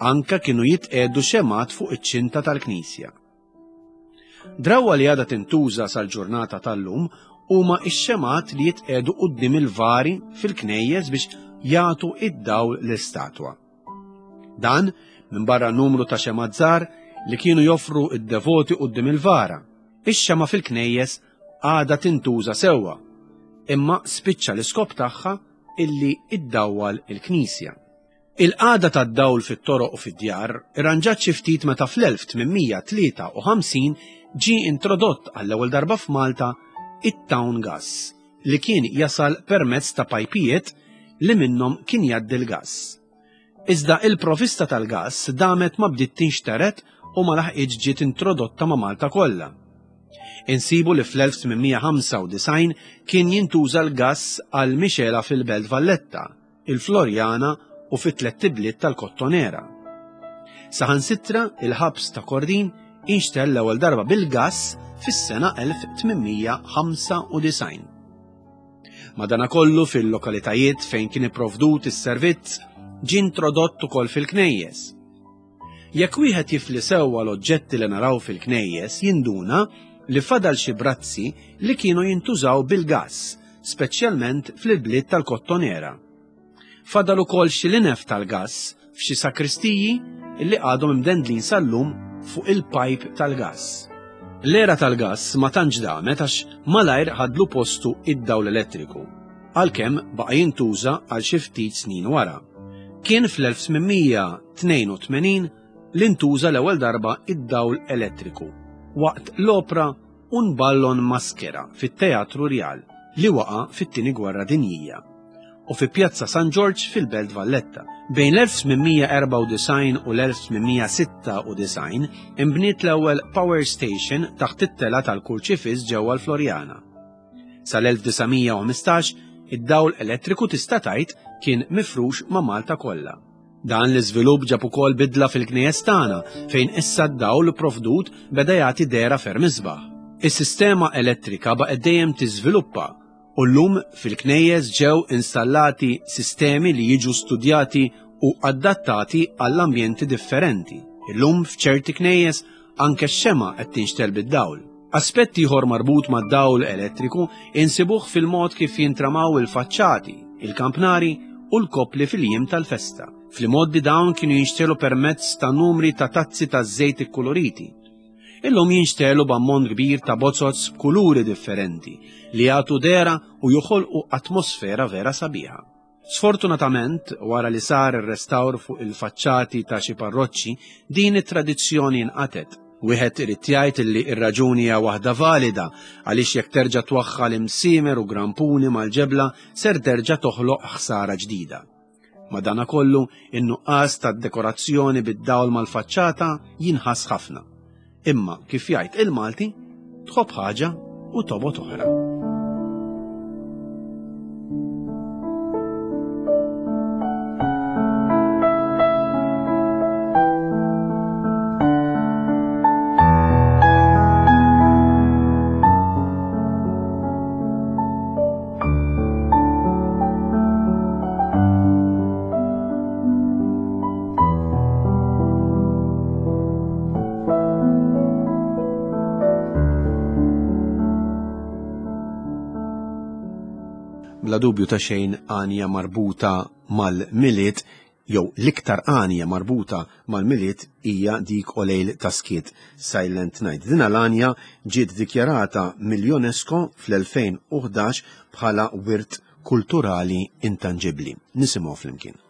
anka kienu jitqiegħdu xemgħat fuq iċ-ċinta tal-knisja. Drawwa li għadha tintuża sal-ġurnata tal-lum huma x-xemgħat li jitqiegħdu quddiem il-vari fil-knejjes biex jagħtu id-dawl l-istatwa. Dan minbarra numru ta' xemgħat żgħar li kienu joffru id-devoti quddiem il-vara. Ix-xemgħa fil-knejjes għadha tintuża sewwa, imma spiċċa l-iskop tagħha illi iddawwal il-knisja. Il-qagħda tad-dawl fit-toroq u fid-djar irranġat xi ftit meta fl-1853 ġie introdott għall-ewwel darba f'Malta it-town gas li kien jasal permezz ta' pajpijiet li minnhom kien jgħaddi l-gass. Iżda il-provista tal-gass damet ma bdiet tinxtered u ma laħqitx ġiet introdotta ma' Malta kollha. Insibu li fl-1895 kien jintuża l-gass għal mixela fil-Belt Valletta, il-Floriana u fit-tlett ibliet tal-Kottonera. Saħansitra il-ħabs ta' Kordin inxtell l-ewwel darba bil-gass fis-sena 1895. Madanakollu fil-lokalitajiet fejn kien ipprovdut is-servizz ġie introdott ukoll fil-knejjes. Jekk wieħed jifli sewwa l-oġġetti li naraw fil-knejjes jinduna li fadal xi brazzi li kienu jintużaw bil-gass, speċjalment fl-bliet tal-Kottonera. Fadal ukoll xi linef tal-gass f'xi sakristiji li għadhom imdendlin sal-lum fuq il-pajp tal-gass. L-era tal-gass ma tantx damet għax malajr ħadlu postu id-dawl elettriku, għalkemm baqa' jintuża għal xi ftit snin wara. Kien fl-1882 li ntuża l-ewwel darba id-dawl elettriku waqt l-opra Un ballo in maschera fit-Teatru Rjal li waqa' fit-Tieni Gwerra Dinjija u fi Pjazza San Ġorġ fil-Belt Valletta. Bejn l-1894 u l-1896 inbniet l-ewwel power station taħt it-tela tal-Kurċifiss ġewwa l-Floriana. Sal-1915 id-dawl elettriku tista' tgħid kien mifrux ma' Malta kollha. Dan l-iżvilupp ġab ukoll bidla fil-knejjes tagħna fejn issa d-dawl provdut beda jagħti dehra ferm isbaħ. Is-sistema elettrika baqgħet dejjem tiżviluppa u llum fil-knejjes ġew installati sistemi li jiġu studjati u adattati għall-ambjenti differenti. Illum f'ċerti knejjes anke x-xemgħa qed tinxtel bid-dawl. Aspett ieħor marbut mad-dawl elettriku insibuh fil-mod kif jintramaw il-faċċati, il-kampnari u l-koppli fil-jiem tal-festa. Fl-imgħoddi dawn kienu jinxtelu permezz ta' numri ta' tazzi ta' żejt ikkuluriti. Illum jinxtelu b'ammont kbir ta' bozoz b'kuluri differenti li jagħtu dehra u joħolqu atmosfera vera sabiħa. Sfortunatament, wara li sar ir-restawr fuq il-faċċati ta' xi parroċċi, din it-tradizzjoni nqatgħet. Wieħed irid jgħid li r-raġuni hija waħda valida għaliex jekk terġa' twaħħal imsiemer u grampuni mal-ġebla ser terġa' toħloq ħsara ġdida. Madanakollu, in-nuqqas tad-dekorazzjoni bid-dawl mal-faċċata jinħass ħafna. Imma kif jgħid il-Malti, tħobb ħaġa u tobgħod oħra. Bla dubju ta' xejn għanja marbuta mal-Milied jew l-iktar għanja marbuta mal-Milied hija dik O Lejl ta' Skiet Silent Night. Din l-għanja ġiet dikjarata mill-UNESCO fl-2011 bħala wirt kulturali intanġibbli. Nisimgħu flimkien.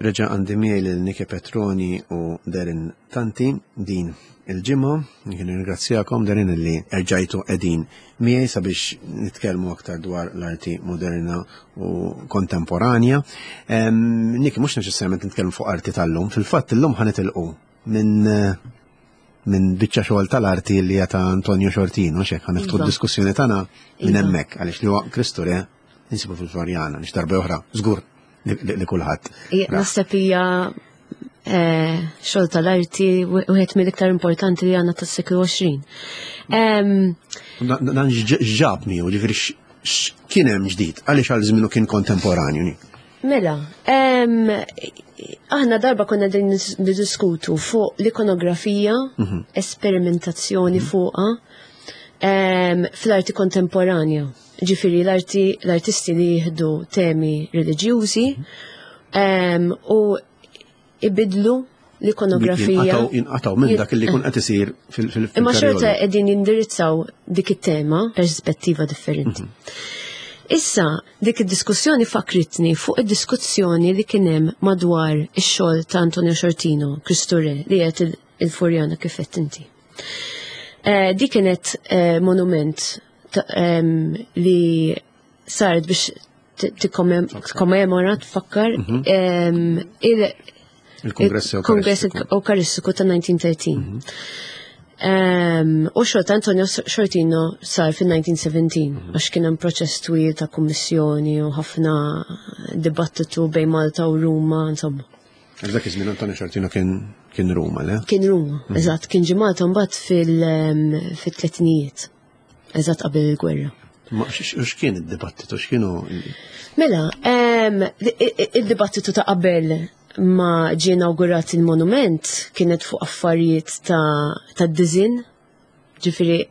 Reġa' għandi miegħi lil Nike Petroni u Darren Tanti din il-ġimgħa. Jien nirringrazzjakom Darren li erġajtu qegħdin miegħi sabiex nitkellmu aktar dwar l-arti moderna u kontemporanja. Niki mhux neċessarjament nitkellmu fuq arti tal-lum, fil-fatt illum ħa nitilqu minn minn biċċa xogħol tal-arti li hija ta' Antonio Xortino, xek ħa niftħu iva. d-diskussjoni tagħna minn iva. hemmhekk għaliex li huwa Kristu Re insibu fil-Florjana, nix darba oħra, żgur li kulħadd. Naħseb hija eh, xogħol tal-arti wieħed mill-iktar importanti li għandna tas-seklu 20. Dan ġab miegħu, ġifieri kien hemm ġdid, għaliex għal żmienu kien kontemporanju. Mela, aħna darba konna din niddiskutu fuq l-ikonografija, mhm. esperimentazzjoni mhm. fuqha fl-arti kontemporanja. Ġifiri l-arti l-artisti li jieħdu temi reliġjużi mhm. u ibidlu l-ikonografija. Jinqataw minn dak li jkun qed isir fil Imma xorta qegħdin jindirizzaw dik it-tema perspettiva differenti. Mhm. Issa, dik id-diskussjoni fakritni fuq id-diskussjoni li kien hemm madwar ix-xogħol ta' Antonio Xortino, Kristu Re, li qed il-Furjana kif qed inti. Eh, di kienet eh, monument li saret biex tikkommemora, tfakkar mhm. il-Kongress Ewkaristiku ta' 1913. Mhm. U xogħol ta' Antonio Xortino sar fil-1917 mhm. għax kien hemm proċess twil ta' kummissjoni u ħafna dibattitu bejn Malta u Ruma, insomma. Dak iż-żmien Antonio Xortino kien kien Ruma, le? Kien Ruma, eżatt, kien ġie Malta mbagħad fil-tletinijiet. Eżatt qabel il-gwerra. Ma x'kien id-dibattitu, x'kienu? Mela, id-dibattitu ta' qabel ma ġie inawgurat il-monument kienet fuq affarijiet ta' dizin. Ġifieri,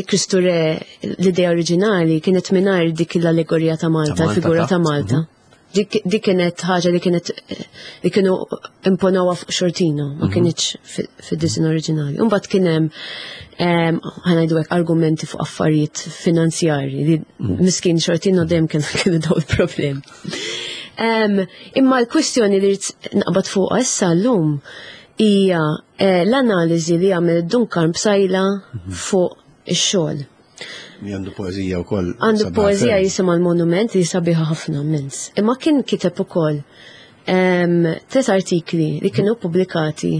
Kristu Re, l-idea oriġinali kienet mingħajr dik l-allegorija ta' Malta, l-figura ta' Malta. Mhm. Dik kienet ħaġa li kienet li kienu imponawha fuq Xortino, ma mhm. kienx fid-disin oriġinali. Imbagħad kien hemm ħanajdu hekk argumenti fuq affarijiet finanzjarji li mhm. miskin Xortino dejjem kien kienu daw il-problem. Imma l-kwistjoni li rrid naqbad fuqha issa llum hija eh, l-analiżi li għamel Duncan Psajla mhm. fuq ix-xogħol. Li għandu poezija wkoll. Għandu poezija jisimha l-monument li sabiħa ħafna mens. Imma kien kiteb ukoll tlet artikli li kienu pubblikati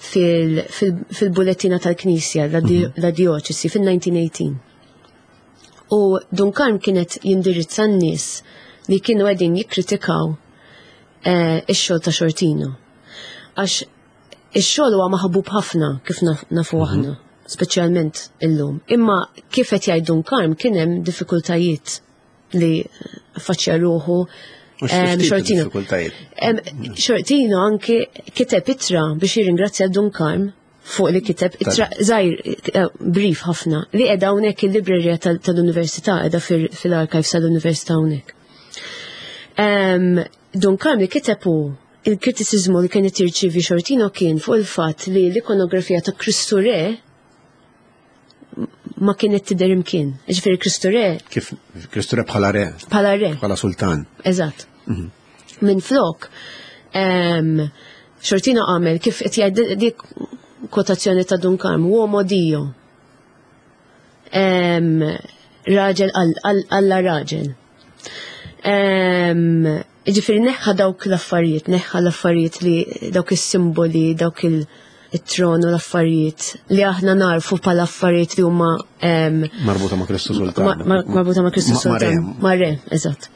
fil-bullettina tal-Knisja, mhm. la dioċesi, fil-1918. U Dun Karm kienet jindirizza n-nies li kienu għedin jikkritikaw eh, ix-xogħol ta' Xortino. Għax Ix-xogħol huwa maħbub ħafna kif nafu mhm. aħna, speċjalment illum. Imma kif qed jgħid Dun Karm kien hemm diffikultajiet li faċċja ruħu Xortino. Xortino anki kiteb ittra biex jirringrazzja Dun Karm fuq li kiteb ittra żgħir eh, brief ħafna li qiegħda hawnhekk il-librerija tal-università qiegħda fil-archives tal-università hawnhekk. Dun Karm li kiteb hu Il-kritiċiżmu li kien qed jirċievi Xortino kien fuq il-fatt li l-ikonografija ta' Kristu Re ma kienet tidher imkien. Ġifieri Kristu Re. Kif Kristu Re bħala re. Bħala re. Bħala sultan. Eżatt. Mhm. Minn flok, Xortino għamel kif qed jgħid dik kwotazzjoni ta' Dun Karm, uomo Dio. Raġel alla raġel. Ġifiri neħħa dawk l-affarijiet, neħħa l-affarijiet li dawk is-simboli, dawk il-tron u l-affarijiet li aħna narfu pala affarijiet li huma marbuta ma' Kristu Sultan. Marbuta ma' Kristu Sultan. Ma' re, eżatt.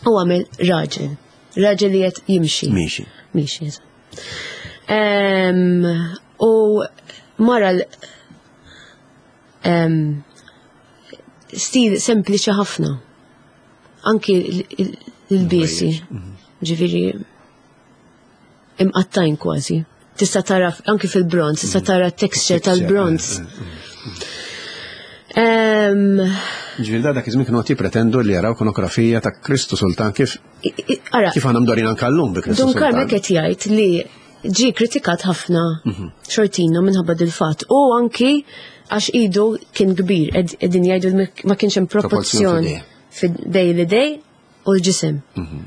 U għamel raġel. Raġel li qed jimxi. Miexi. Miexi, eżatt. U mara stil sempliċi ħafna. Anki l-biesi, mhm. ġifiri, imqattajn kważi. Tista' tara anki fil-bronz, tista' mhm. tara texture tal-bronz. Eh, eh, eh. Ġifiri da dak iż-żmien kienu qed jippretendu li jaraw ikonografija ta' Kristu Sultan kif kif għandhom dorin anke llum bi Kristu Sultan. Dun Karmek qed jgħid li ġie kritikat ħafna mhm. xortino minħabba dil-fatt u anki għax idu kien kbir qegħdin jgħidu ma kienx hemm proporzjon fid-dej li dej u l-ġisem. Mhm.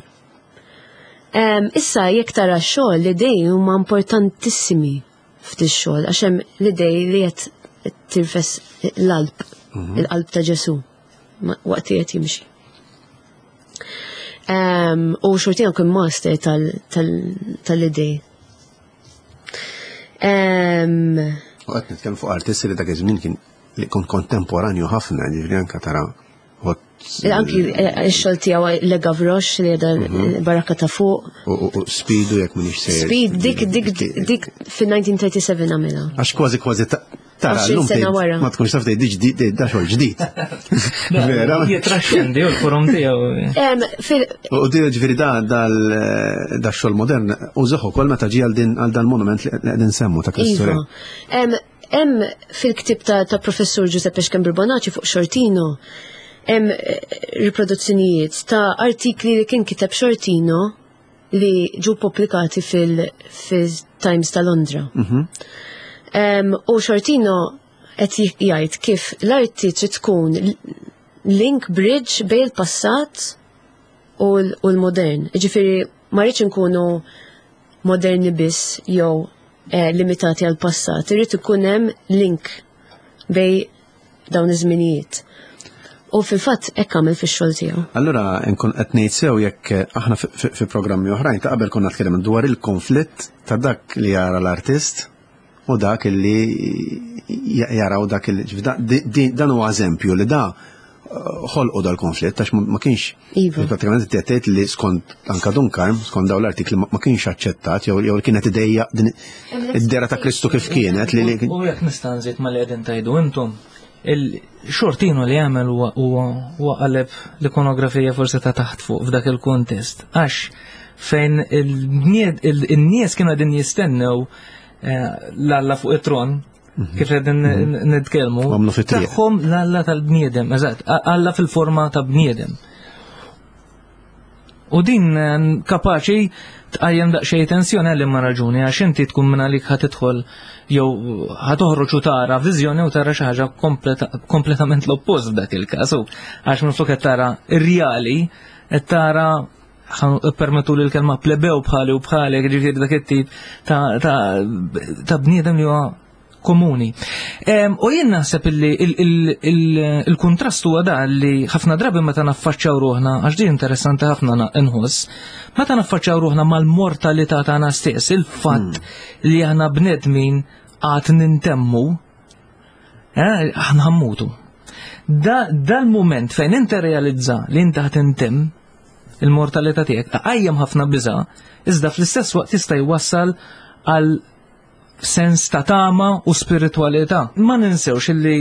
Issa jekk tara x-xogħol l-idej huma importantissimi f'dix-xogħol għax hemm l-idej li qed tirfes l-qalb, il-qalb ta' Ġesù waqt li qed jimxi. U Xortino kien master tal-idej. U qed nitkellmu fuq artisti li dak iż-żmien kien li kien kontemporanju ħafna, ġifieri anke tara Anki x-xogħol tiegħu Le Gavroche li qiegħda barrakka ta' fuq. U Speedu jekk m'iniex sejjer. Speed dik dik dik fin-1937 għamilha. Għax kważi kważi tara 20 sena wara. Ma tkunx taf tgħid ġdid da xogħol ġdid. Vera. Jitraxxendi u l-forum tiegħu. U di ġifieri da da xogħol modern użaħ ukoll meta ġie għal din għal dan monument li qegħdin semmu ta' Kristu. Iva. Hemm fil-ktieb ta' Professur Giuseppe Schembri Bonacci fuq Xortino, hemm eh, riproduzzjonijiet ta' artikli li kien kiteb Xortino li ġu pubblikati fil-Times ta' Londra. U Xortino qed jgħid kif l-arti trid tkun link bridge bejn il-passat u l-modern. Ġifieri ma rridx inkunu moderni biss jew eh, limitati għal passat, irid ikun hemm link bej dawn iż-żminijiet. U fil-fatt hekk għamel fix-xogħol tiegħu. Allura nkun qed ngħid sew jekk eh, aħna fi programmi oħrajn ta' qabel konna tkellem dwar il-konflitt ta' dak li jara l-artist u dak li jaraw dak li dan huwa eżempju li da ħolqu dal-konflitt għax ma kienx iva. Pratikament tgħid li skont anka Dun Karm, skont dawn l-artikli ma kienx aċċettat jew jew kienet idejja din id-dera ta' Kristu kif kienet li U jekk nista' nżid ma li qegħdin tgħidu intom, il-xortino li għamel huwa qaleb l-ikonografija forsi ta' taħt fuq f'dak il-kuntest. Għax fejn il-nies kienu qegħdin jistennew eh, l-Alla fuq it-tron, kif qegħdin nitkellmu. Għamlu fit-triq. Tagħhom l-Alla tal-bniedem, eżatt, Alla fil-forma ta' bniedem. U din eh, kapaċi tqajjem daqsxejn tensjoni għal imma raġuni għax inti tkun minn għalik ħa tidħol jew ħa toħroġ u tara viżjoni u tara xi ħaġa kompletament l-oppost f'dak il-każ. Għax minflok qed tara ir-reali qed tara permettu li l-kelma plebew bħali u bħalek, ġifieri dak it-tip ta' bniedem li huwa komuni. U jien naħseb illi il-kuntrast huwa da li ħafna drabi meta naffaċċjaw ruħna, għax din interessanti ħafna nħoss, meta naffaċċjaw ruħna mal-mortalità tagħna stess, il-fatt hmm. li aħna bnedmin għad nintemmu, eh, aħna ħammutu. Dal-moment fejn inti realizza li inti ħat intemm, il-mortalità tiegħek tqajjem ħafna biża', iżda fl-istess waqt jista' jwassal għal sens ta' tama u spiritwalità. Ma ninsewx illi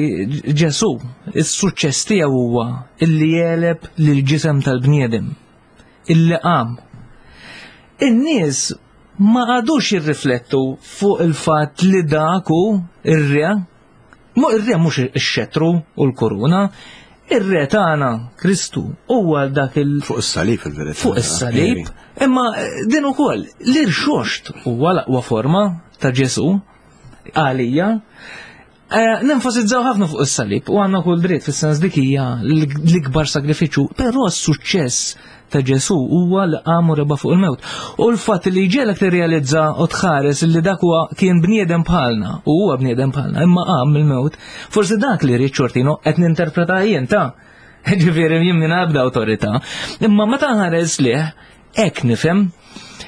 Ġesù, is-suċċess tiegħu huwa illi jegħleb lill-ġisem tal-bniedem, illi qam. In-nies ma għadux jirriflettu fuq il-fatt li dak hu ir-re Mu ir-re mhux ix-xetru u l-kuruna, ir-re tagħna Kristu huwa dak il Fuq is-salib il-verità. Fuq is-salib, imma eh, din ukoll l-irxoxt huwa l-aqwa forma ta' Ġesù għalija. Eh, nenfasizzaw ħafna fuq is-salib u għandna kull dritt fis-sens dik hija l-ikbar sagrifiċċju, però s-suċċess ta' Ġesù huwa li qam u reba' fuq il-mewt. U l-fatt li jġegħlek tirrealizza u tħares li dak huwa kien bniedem bħalna u huwa bniedem bħalna imma qam mill-mewt, forsi dak li ried Xortino qed ninterpreta jien ta' ġifieri jien minn ebda awtorità. Imma meta nħares lih hekk nifhem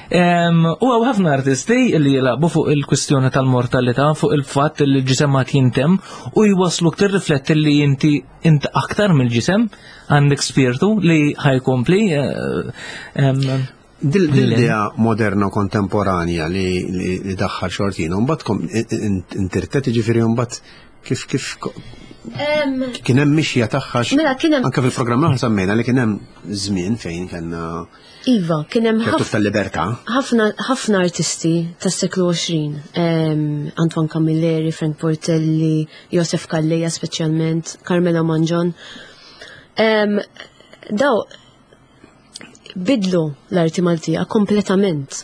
U għaw ħafna artisti li jilabu fuq il-kwistjoni tal-mortalità, fuq il-fatt li l-ġisem ma jintem u jwaslu tirrifletti li inti int aktar mill-ġisem għandek spirtu li ħajkompli. Eh, Dil-idea moderna u kontemporanja li daħħal xortina, mbagħad intirtet ġifieri mbagħad kif kif kien hemm mixja tagħha mela, kien hemm anke fil-programm aħna semmejna li kien hemm żmien fejn kellna Iva, kien hemm ħafna tal-libertà. Ħafna ħafna artisti tas-seklu 20, Antoine Camilleri, Frank Portelli, Josef Calleja speċjalment, Carmelo Mangion. Daw bidlu l-arti Maltija kompletament.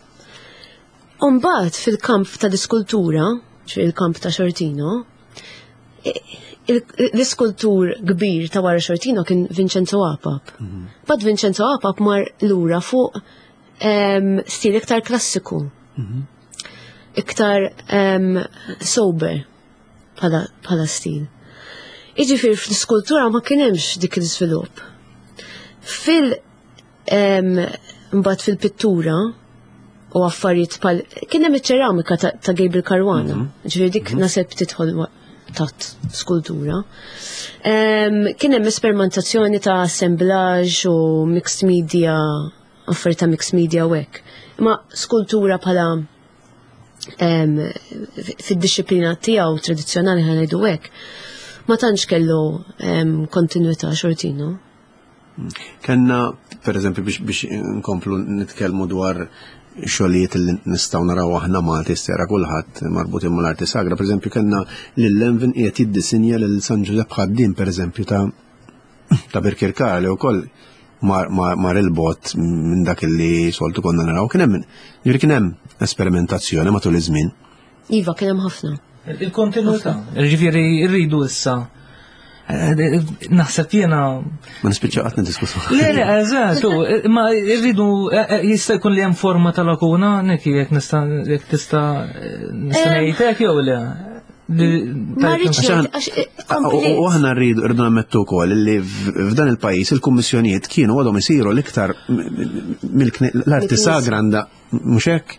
Umbagħad fil-kamp tal-iskultura, fil-kamp ta' Xortino, l-iskultur kbir ta' wara Xortino kien Vincenzo Apap. Mhm. Bad Vincenzo Apap mar lura fuq stil iktar klassiku. Iktar sober bħala stil. Iġifieri fl-iskultura ma kien hemmx dik l-iżvilupp. Fil mbagħad fil-pittura u affarijiet bħal kien hemm iċ-ċeramika ta' Gabriel Caruana, ġifieri dik naseb tidħol tat skultura. Kien hemm esperimentazzjoni ta' assemblaġġ u mixed media, affarijiet ta' mixed media u hekk. Ma skultura bħala fid-disciplina tiegħu tradizzjonali ħa ngħidu hekk, ma tantx kellu kontinwità xortino. Kenna, per eżempju, biex nkomplu nitkellmu dwar xogħlijiet li nistgħu naraw aħna Malti stera kulħadd marbutin mal-arti sagra, per eżempju, kellna lil Lenvin qiegħed jiddisinja lil San Ġużepp Ħaddiem, per eżempju, ta' Birkirkara li wkoll mar il-bot minn dak li soltu konna naraw. Kien hemm, ġifieri kien hemm esperimentazzjoni matul iż-żmien. Iva, kien hemm ħafna. Il-kontinuità, ġifieri rridu issa. Naħseb jiena. Ma nispiċċa qatt niddiskutu. Le, le, eżatt, ma rridu jista' jkun li hemm forma ta' lakuna, Niki, jekk nista' jekk tista' nista' ngħidlek jew le. Ma rridx ngħid, għax U aħna rridu rridu nammettu wkoll li f'dan il-pajjiż il-kummissjonijiet kienu għadhom isiru l-iktar l-arti sagra għandha mhux hekk.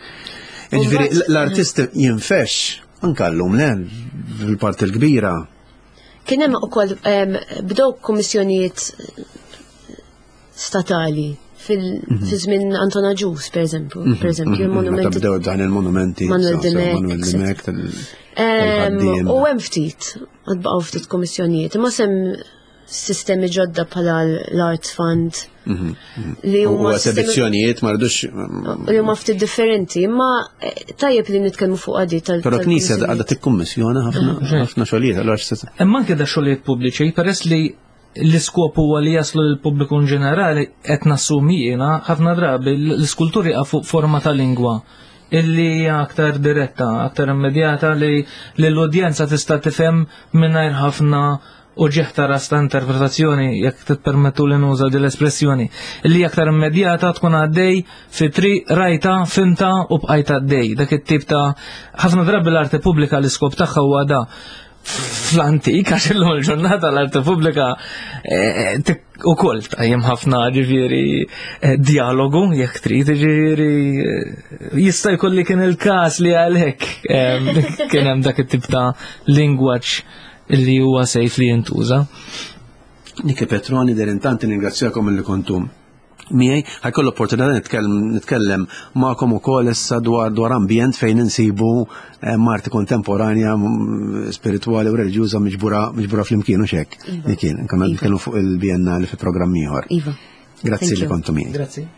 Jiġifieri l-artist jinfex anke llum le fil-parti l-kbira. Kien hemm ukoll bdew kummissjonijiet statali fil-żmien Anton Agius, per eżempju, per eżempju, il-monumenti. Meta bdew dan il-monumenti. Manuel Dimech, Manuel Dimech tal-ħaddiem. U hemm ftit, għad baqgħu ftit kummissjonijiet, imma sem sistemi ġodda bħala l-Art Fund. Li U huma sistemi esebizzjonijiet ma rridux. li huma ftit differenti, imma tajjeb li nitkellmu fuq għadi tal- Però knisja tal-kummissjonijiet. għadha tikkummissjona ħafna ħafna xogħlijiet, allura x'se Imma anke da xogħlijiet pubbliċi, peress li l-iskop huwa li jaslu lill-pubbliku in ġenerali, qed nassumi jiena ħafna drabi l-iskulturi jaqa' fuq forma ta' lingwa illi hija aktar diretta, aktar immedjata li l-udjenza tista' tifhem mingħajr ħafna uġigħ ta' ras ta' interpretazzjoni, jekk titpermettu li nuża din l-espressjoni, li aktar immedjata tkun għaddej fi triq rajta, fimta u bqajt għaddej. Dak it-tip ta' ħafna drabi l-arte pubblika l-iskop tagħha huwa da. Fl-antik, għax illum il-ġurnata l-arte pubblika ukoll tqajjem ħafna ġifieri dialogu, jekk trid, ġifieri jista' jkun li kien il-każ li għalhekk kien hemm dak it-tip ta' lingwaġġ li huwa sejf li jintuża. Niki Petroni, Derin, tant ningrazzjakom li kontu miegħi. Ħa jkolli opportunità nitkellem magħkom ukoll issa dwar ambjent fejn insibu arti kontemporanja, spirituali u reliġjuża miġbura flimkien u xek. Iva. Niki, nkunu Iva. nitkellmu fuq il-Biennale fi programm ieħor. Iva. Grazzi Thank li you. kontu miegħi. Grazzi.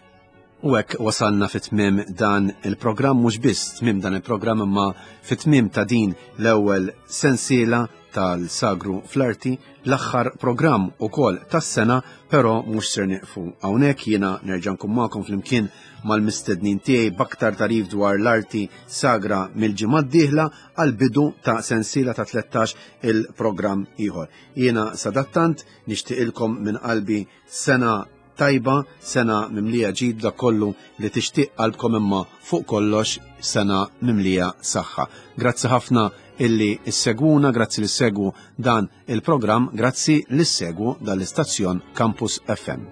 U hekk wasalna fit tmiem dan il-programm, mhux biss tmiem dan il-programm imma fit tmiem ta' din l-ewwel sensiela tal-Sagru fl-Arti, l-aħħar programm ukoll tas-sena, però mhux ser nieqfu hawnhekk, jiena nerġa' nkun magħkom flimkien mal-mistednin tiegħi b'aktar tarif dwar l-arti sagra mill-ġimgħa d-dieħla għal bidu ta' sensiela ta' 13 il-programm ieħor. Jiena sadattant nixtieqilkom minn qalbi sena tajba, sena mimlija ġid dak kollu li tixtieq qalbkom, imma fuq kollox sena mimlija saħħa. Grazzi ħafna illi issegwuna, grazzi li segwu dan il-programm, grazzi li segwu dal-istazzjon Campus FM.